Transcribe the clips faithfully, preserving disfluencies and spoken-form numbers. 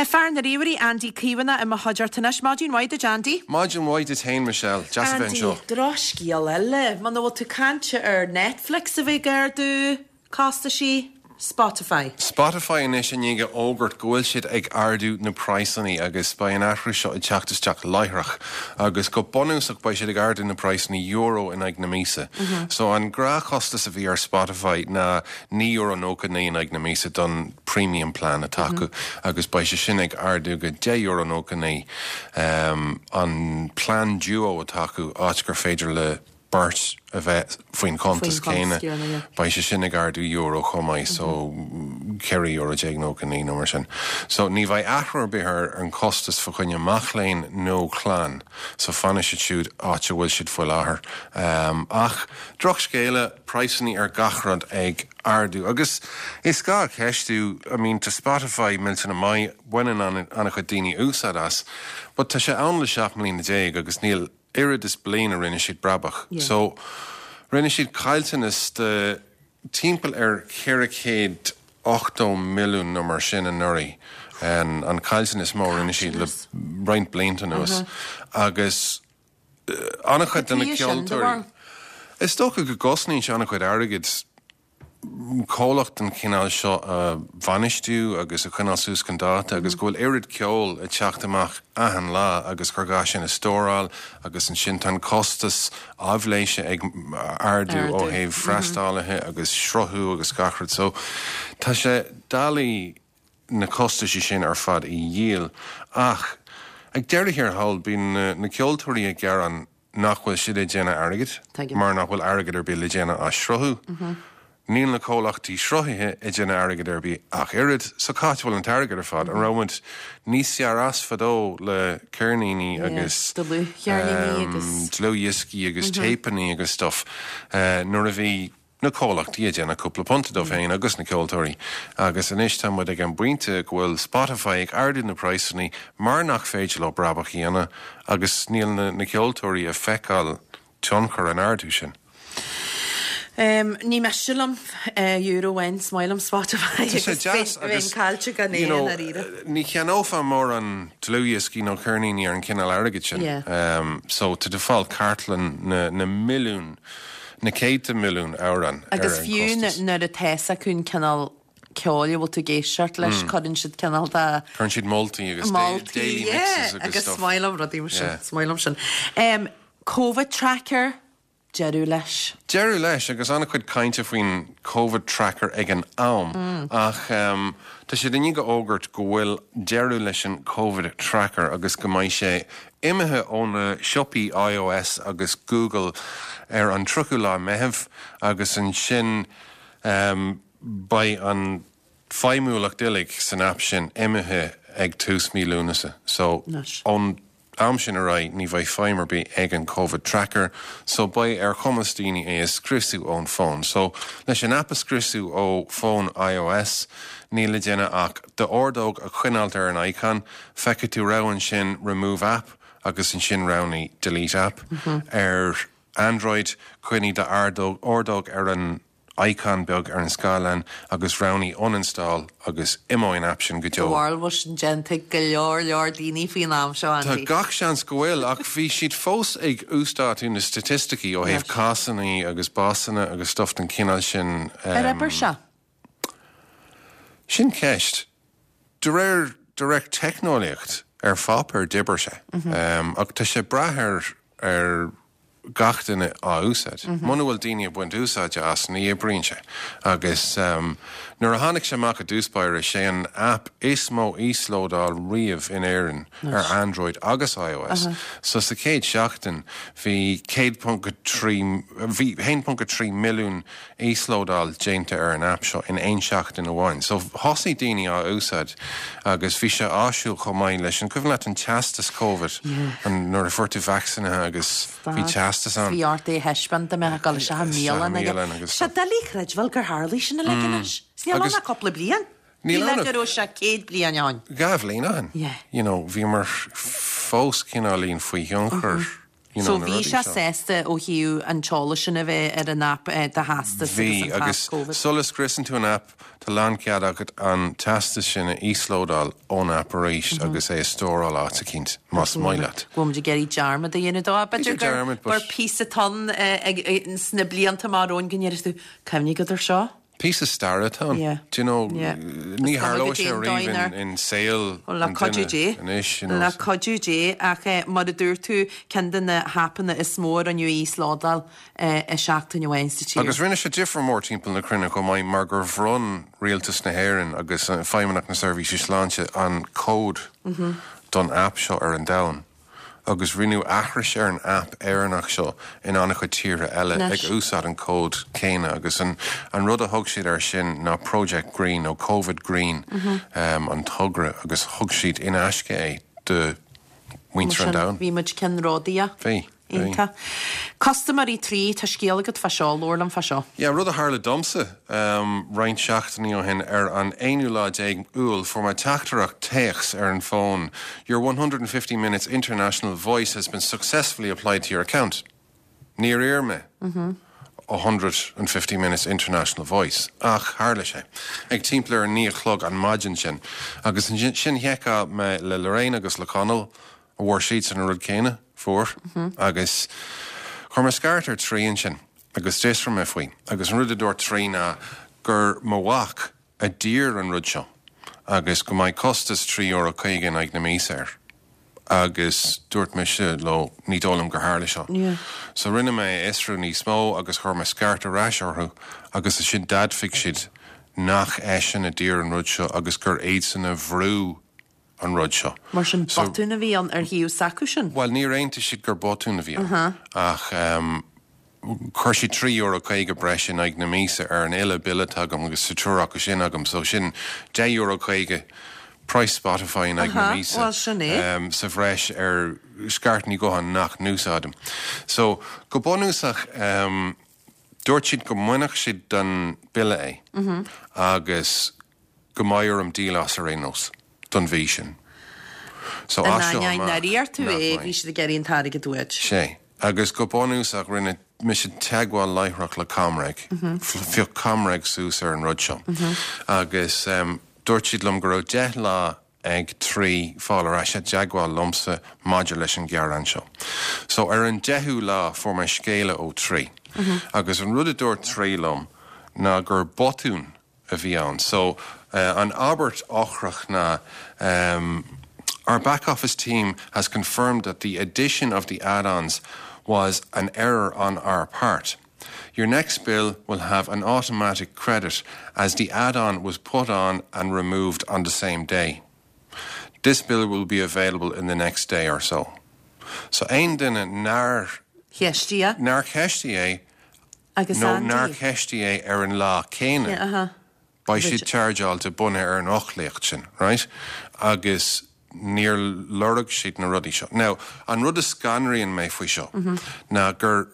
Fear na ríomhairí Andy Caomhánach i mo chuideachta anois. Maidin mhaith duit Andy. Maidin mhaith duit féin Michelle, deas a bheith anseo. Drochscéal eile, muna bhfuil tú caint ar Netflix a bheith ag ardú costaisí Spotify. Spotify anois i ndiaidh a fhógairt go bhfuil siad ag ardú na praghsanna agus beidh an athrú seo ag teacht isteach láithreach agus go bunúsach beidh siad ag ardú na praghsanna euro in aghaidh na míosa. Mm -hmm. So an gnáthchostas a bhí ar Spotify ná naoi euro nócha naoi in aghaidh na míosa don premium plan atá acu mm -hmm. agus beidh sé sin ag ardú go deich euro nócha naoi um, an plan duo atá acu áit gur féidir le beirt a bheith faoin chuntas céanna beidh sé sin ag ardú euro chomh maith so ceithre euro déag nócha naoi nó mar sin. So ní bheidh athrú ar bith ar an costas fá choinne mac léinn nó clann, so fanfaidh siad siúd áit a bhfuil siad faoi láthair. Um, ach drochscéala praghsanna ar gach rud ag ardú agus is gá ceistiú I mean tá Spotify millteanach maith baineann an-chuid daoine úsáid as, but tá sé ann le seacht mbliana déag agus níl oiread is bliain a rinne siad brabach. Yeah. So rinne siad caillteanas de timpeall ar ceithre chéad ochtó milliún nó mar sin anuraidh. An, an caillteanas mó rinne siad le roinnt blianta anuas. Uh -huh. Agus uh, an-chuid de na ceoltóirí. Is dócha go gcosnaíonn sé an-chuid airgid comhlacht den chineál seo a bhainistiú agus a choinneáil suas chun dáta agus go bhfuil oiread ceol ag teacht amach achan lá agus gur gá sin a stóráil agus ansin tá an costas aibhléise ag ardú ó thaobh freastalaithe agus sruthú agus gach rud. So tá sé doiligh na costais sin ar fad a dhíol ach ag deireadh thiar thall bíonn na, na ceoltóirí ag gearán nach bhfuil siad ag déanamh airgid mar nach bhfuil airgead ar bith le déanamh as sruthú. Mm -hmm. Níl na comhlachtaí sruthaithe ag déanamh airgead ar bith ach oiread so cá bhfuil an t-airgead ar fad an raibh muid níos fearr as fadó le ceirníní agus dlúthdhioscaí agus téipeanna agus stuff uh, nuair a bhí na comhlachtaí ag déanamh cúpla punt dóibh féin agus na ceoltóirí. Agus anois tá muid ag an bpointe go bhfuil Spotify ag ardú na praghsanna mar nach féidir leo brabach a dhéanamh agus níl na, na ceoltóirí ag feiceáil tionchar an ardú sin. Um, ní miste liom uh, euro amháin is maith liom Spotify agus caillte gan é ar Ní cheannófá mórán dlúthdhioscaí nó ceirníní ar an cineál airgid sin. Yeah. Um, so tá tú ag fáil cartlann na, na milliún na céadta milliún amhrán. Agus fiú nuair atá acu an cineál ceoil a bhfuil tú ag éisteacht leis cuireann siad cineál de Cuireann siad moltaí agus daily mixes agus agus is maith liom rudaí sin is maith liom sin. Um, COVID tracker deireadh leis. Deireadh leis agus an-chuid cainte faoin COVID tracker ag an am mm. ach um, tá siad i ndiaidh a fhógairt go bhfuil deireadh leis an COVID tracker agus go mbeidh sé imithe ó na siopaí iOS agus Google ar an tríochú lá Meitheamh agus ansin um, beidh an feidhmiúlacht uilig san app sin imithe ag tús mí Lúnasa. So ón am sin ar aghaidh ní bheidh feidhm ar bith ag an COVID tracker, so beidh ar chumas daoine é a scriosadh ón bhfón. So leis an app a scriosadh ó fón iOS, níl le déanamh ach d'ordóg a choinneáil ar an icon, feicfidh tú rogha ansin remove app agus ansin roghnaigh delete app. Mm -hmm. Ar Android coinnigh d'ordóg ar an icon beag ar an scáileán agus roghnaigh uninstall agus imeoidh an app sin go deo. Bhfuil sin déanta go leor leor daoine faoin am seo Tá gach seans go bhfuil ach bhí siad fós ag uasdátú na staitisticí ó thaobh cásanna agus básanna agus stuff den chineál sin. Ar oibir sé? Sin ceist. De réir de réir teicneolaíocht ar pháipéar d'oibir sé. Um, ach tá sé brath ar ar gach duine á úsáid. Mm -hmm. Muna bhfuil daoine ag baint úsáide as ní oibríonn sé. Agus um, nuair a tháinig sé amach i dtús báire sé an app is mó íoslódáil riamh in Éirinn ar Android agus iOS. Uh -huh. So sa chéad seachtain bhí céad trí bhí haon ponc trí milliún íoslódáil déanta ar an app seo in aon seachtain amháin. So thosaigh daoine á úsáid agus bhí sé áisiúil chomh maith leis an cuimhin leat an teastas COVID an nuair a fuair tú vacsaínithe agus bhí teastas ann. Bhí ort é a thaispeáint mé go se mílan agus Sé doiligh a chreidbheáil gur tharla sin uilig anois. Níl ann ach cúpla bliain. Ní le go raibh sé céad bliain ann. Dhá bhliain ann. Yeah. You know, bhíomar fós cineáilín faoi thionchar You know, So bhí sé sásta ó thaobh an t-eolas sin a bheith ar an app eh, do theastas Bhí agus an agus pas COVID. sula scriosann tú an app tá lánchead agat an teastas sin a íoslódáil ón app arís agus é a stóráil áit eicínt más maith leat. Bhfuil ag iarraidh dearmad a dhéanamh dó b'fhéidir gur dearmad, but- gur píosa ton sna blianta mar ón go ndéarfaidh tú cuimhnigh go ar seo? Píosa staire atá ann. Yeah. Do you know, Yeah. ní Is cuma tharlóidh go sé dtéann riamh daoine in, in saol le an cuidiú duine Dé anois, you know, le cuidiú Dé ach eh, mar a dúirt tú ceann de na haipeanna is mó a rinneadh íoslódáil eh, i seachtain amháin sa tír. Agus rinne sé difear mór timpeall na cruinne chomh maith mar gur bhronn rialtas na hÉireann agus an Feidhmeannacht na Seirbhíse Sláinte an cód don app seo ar an domhan. Agus rinneadh aithris ar an app Éireannach seo in an-chuid tíortha eile Anois. ag úsáid an cód céanna agus an, an rud a thug siad ar sin ná Project Green nó COVID Green um, an togra agus thug siad in aisce é do muintir an domhain. Bhí muid ceannródaíoch. Bhí, bhí. Iontach. Custaiméirí Three tá scéal agat fá seo labhair liom fá seo. Ja, rud a tharla domsa um, roinnt seachtainí ó shin ar an aonú lá déag Iúil fuair mé teachtaireacht téacs ar an fón. Your one hundred and fifty minutes international voice has been successfully applied to your account. Níor iarr mé. a hundred and fifty minutes international voice ach tharla sé. Ag timpeall ar a naoi a chlog an maidin sin. Agus sin sin sheiceáil mé le Lorraine agus le Conall a bhfuair siad an rud céanna fuair agus chuir mé scairt ar Three ansin agus d'fhiosraigh mé faoi agus an rud a dúirt Three ná gur mo mhac a d'iarr an rud seo agus go mbeidh costas trí euro caoga in aghaidh na míosa air. Agus dúirt mise leo ní dóigh liom gur tharla seo. Yeah. So rinne mé fiosrú níos mó agus chuir mé scairt ar ais orthu agus ansin d'admhaigh siad nach eisean a d'iarr an rud seo agus gur iadsan a bhrú an rud seo. Mar sin So- botún a bhí ann ar thaobh s'acu sin. Well, níor aontaigh siad gur botún a bhí ann ach um, chuir siad trí euro caoga breis in aghaidh na míosa ar an uile bille agam agus sa triúr acu sin agam, so sin deich euro caoga price Spotify in aghaidh na Aha, míosa. well, sin é. Um, sa bhreis ar scairteanna gutháin nach n-úsáidim. So go bunúsach um, dúirt siad go mbainfeadh siad den bille é mm -hmm. agus go mbeidh orm díol as ar aon nós don mhí sin. So as seo amach, Nár iarr tú nach é mbeidh. bhí siad ag iarraidh an t-airgead uait. Sé. Agus go bunúsach rinne mise teagmháil láithreach le ComReg. Phioc ComReg suas ar an rud seo. Agus um, dúirt siad liom go raibh deich lá ag Three fáil ar ais i dteagmháil liomsa maidir leis an gearán seo. So ar an deichiú lá fuair mé scéala ó Three. Agus an rud a dúirt Three liom ná gur botún a bhí ann. So uh, an abairt eochrach ná um, our back office team has confirmed that the addition of the add-ons was an error on our part. Your next bill will have an automatic credit as the add-on was put on and removed on the same day. This bill will be available in the next day or so. So aon duine nár Cheistigh nár cheistigh é agus nó Andy. nár cheistigh é ar an lá céanna. Yeah, aha. Beidh siad chargeáilte bunaithe ar an fhoclaíocht sin, right? Agus níor lorg siad na rudaí seo. Now, an rud a scanraíonn mé faoi seo ná gur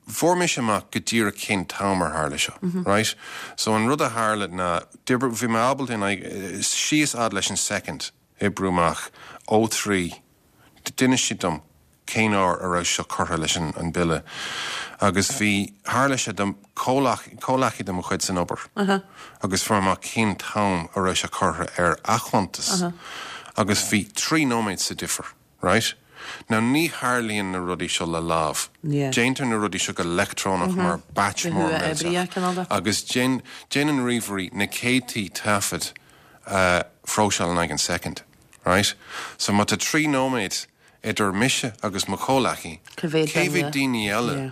fuair mise amach go díreach cén t-am ar tharla seo, right? So an rud a tharla ná d'oibrigh- bhí mé ábalta in aghaidh- síos fhad leis an second oibriú amach ó Three d'inis siad dom cén uair a raibh seo curtha leis an, an bille. Agus bhí tharla sé dom comhghleacaí de mo chuid san obair. Uh -huh. Agus fuair mé cén t-am a raibh sé curtha ar a chuntas. Uh -huh. Agus bhí trí nóiméad sa difear, right? Now ní tharlaíonn na rudaí seo le lámh. Yeah. Déantar na rudaí seo go leictreonach mar batch Go mór huathoibríoch, cineál de. Agus déan déanann ríomhairí na céadtaí taifead uh, phróiseáil in aghaidh an second, right? So má tá trí nóiméad idir mise agus mo chomhghleacaí, Cá mhéad cé mhéad duine? daoine eile Yeah.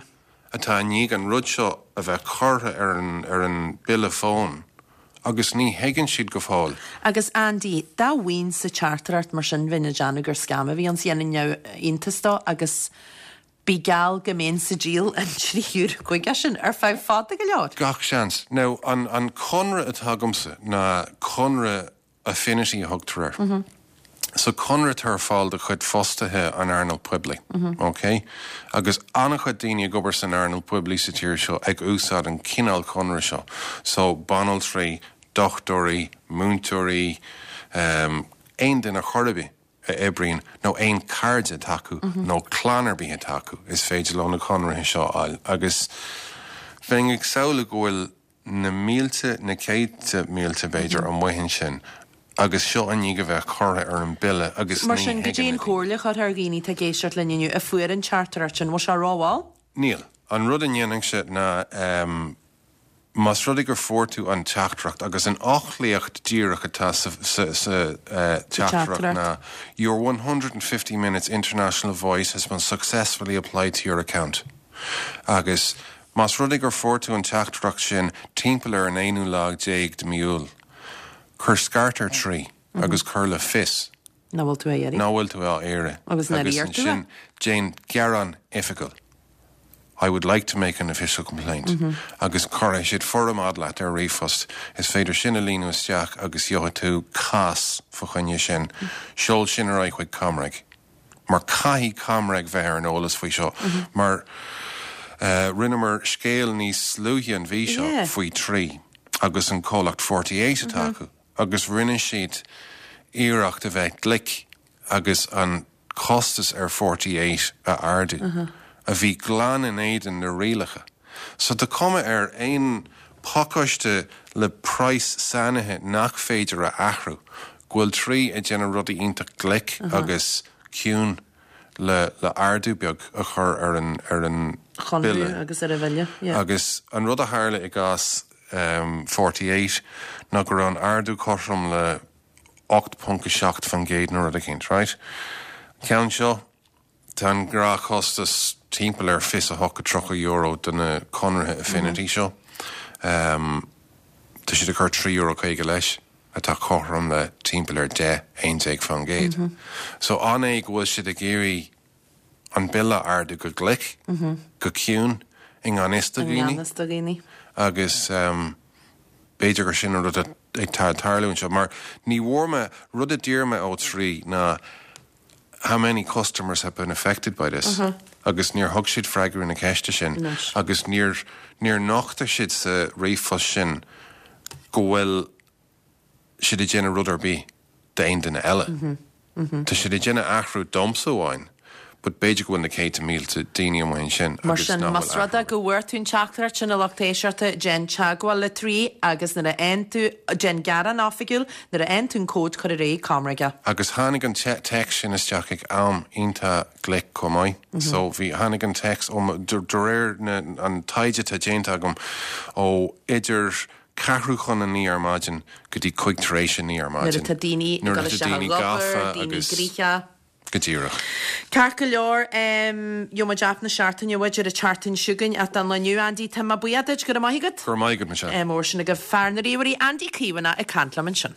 atá i ndiaidh an rud seo a bheith curtha ar an, ar an bille fóin, agus ní thuigeann siad go fóill. Agus Andy, dá bhfaighinn sa teachtaireacht mar sin bheinn ag déanamh gur scam a bhí ann dhéanfainn iontas de agus bí geall go mbeinn sa díol an trí euro caoga sin ar feadh fada go leor. Gach seans. Now, an, an conradh atá agamsa ná conradh Affinity a thugtar air. Mm -hmm. So conradh ar fáil do chuid fostaithe an earnáil poiblí. Mm -hmm. Okay? Agus an-chuid daoine ag obair san earnáil poiblí sa tír seo ag úsáid an cineál conradh seo. So banaltraí, dochtúirí, múinteoirí, um, aon duine chor ar bith a oibríonn nó aon cairde atá acu nó clann ar bith atá acu is féidir leo na conarthaí seo a fháil agus bheinn ag samhlú go bhfuil na mílte na céadta mílte b'fhéidir amuigh ansin agus seo an ní a bheith curtha ar an bille agus Mar sin go dtí an chomhairle chur ar dhaoine tá ag éisteacht linn inniu a fuair an teachtaireacht sin bhfuil sé rómhall? Níl. An rud a dhéanann sé ná um, Más rud é gur fuair tú an teachtaireacht agus an fhoclaíocht díreach atá sa, sa, sa uh, teachtaireacht ná Your one hundred and fifty minutes international voice has been successfully applied to your account. Agus más rud é gur fuair tú an teachtaireacht sin timpeall ar an aonú lá déag de mí Iúil, cuir scairt ar Three agus cuir le fios. Nach bhfuil tú á iarraidh. Nach bhfuil tú á iarraidh. Agus nár iarr tú é? Agus ansin déan gearán oifigiúil. I would like to make an official complaint. Agus cuirfidh siad foirm fhad leat ar ríomhphost. Is féidir sin a líonadh isteach agus gheobhaidh tú cás fá choinne sin. Seol sin ar aghaidh chuig ComReg. Mar caithfidh ComReg bheith ar an eolas faoi seo. Mar rinneamar scéal níos luaithe an mhí seo faoi Three agus an comhlacht forty eight atá acu agus rinne siad iarracht a bheith glic agus an costas ar forty eight a ardú, a bhí glan in éadan na rialacha. So tá cuma ar aon pacáiste le praghas sainithe nach féidir a athrú, go bhfuil Three ag déanamh rudaí iontach glic agus ciúin le le ardú beag a chur ar an ar an bille. Agus ar an bhille, yeah. Agus an rud a tharla i gcás forty eight ná go raibh an ardú cothrom le ocht ponc a seacht faoin gcéad nó rud eicínt, right? An ceann seo, tá an gnáthchostas timpeall ar fiche a hocht go tríocha euro do na conartha Affinity seo. Tá siad ag cur trí euro caoga leis, atá cothrom le timpeall ar deich, aon déag faoin gcéad. So an é go bhfuil siad ag iarraidh an bille a ardú go glic, go ciúin, i ngan fhios do dhaoine? I ngan fhios do dhaoine. Agus b'fhéidir gur sin an rud atá ag tarlú anseo, mar ní bhfuair mé, rud a d'iarr mé ó Three ná how many customers have been affected by this? Agus níor thug siad freagra ar na ceiste sin agus níor, níor nochtaigh siad sa ríomhphost sin go bhfuil siad ag déanamh rud ar bith d'aon duine eile. Tá siad ag déanamh athrú domsa amháin, but b'fhéidir go bhfuil na céadta mílte daoine amuigh ansin Mar agus sin, nach más bhfuil rud é athrú. go bhfuair tú an teachtaireacht sin a lucht éisteachta, déan teagmháil le Three agus nuair a fhaigheann tú, déan gearán oifigiúil, nuair a fhaigheann tú an cód cuir ar aghaidh ComReg é. Agus tháinig an téacs sin isteach ag am iontach glic chomh maith. So bhí, tháinig an téacs ó, de réir na, an taighde atá déanta agam, ó idir ceathrú chun a naoi ar maidin go dtí cúig tar éis a naoi ar Nuair maidin. atá daoine ag Nuair dul atá isteach daoine ag obair, gafa daoine agus gnoitheach. Go díreach. Ceart go leor, gheobhaidh muid aip na seachtaine uait ar an tseachtain seo chugainn ach don lá inniu, Andy, tá mé buíoch duit, go raibh maith agat. Go raibh maith agat, Michelle. Mór sin agaibh fear na ríomhairí, Andy Caomhánach ag caint liom ansin.